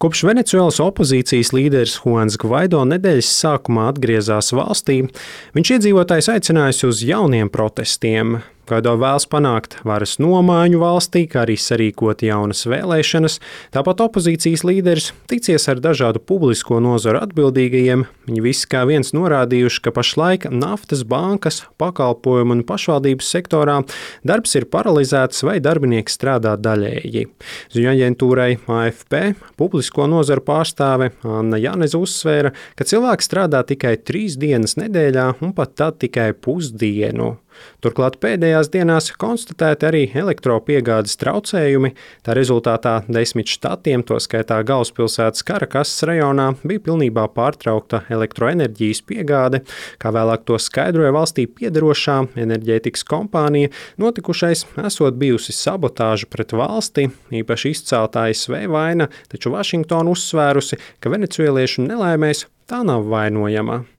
Kopš Venecuēlas opozīcijas līderis Juans Gvaido nedēļas sākumā atgriezās valstī, viņš iedzīvotājus aicinājusi uz jauniem protestiem. Gvaido vēlas panākt varas nomaiņu valstī, kā arī sarīkot jaunas vēlēšanas. Tāpat opozīcijas līderis ticies ar dažādu publisko nozaru atbildīgajiem. Viņi visi kā viens norādījuši, ka pašlaik naftas, bankas, pakalpojumu un pašvaldības sektorā darbs ir paralizēts vai darbinieki strādā daļēji. Ziņu aģentūrai AFP publisko nozaru pārstāve Anna Janeze uzsvēra, ka cilvēki strādā tikai 3 dienas nedēļā un pat tad tikai pusdienu. Turklāt pēdējās dienās konstatēti arī elektropiegādes traucējumi. Tā rezultātā 10 štatiem, to skaitā galvaspilsētas Karakasas rajonā, bija pilnībā pārtraukta elektroenerģijas piegāde. Kā vēlāk to skaidroja valstī piederošā enerģētikas kompānija, notikušais esot bijusi sabotāža pret valsti, īpaši izcelta ASV vaina, taču Vašingtona uzsvērusi, ka venecuēliešu nelaimēs tā nav vainojama.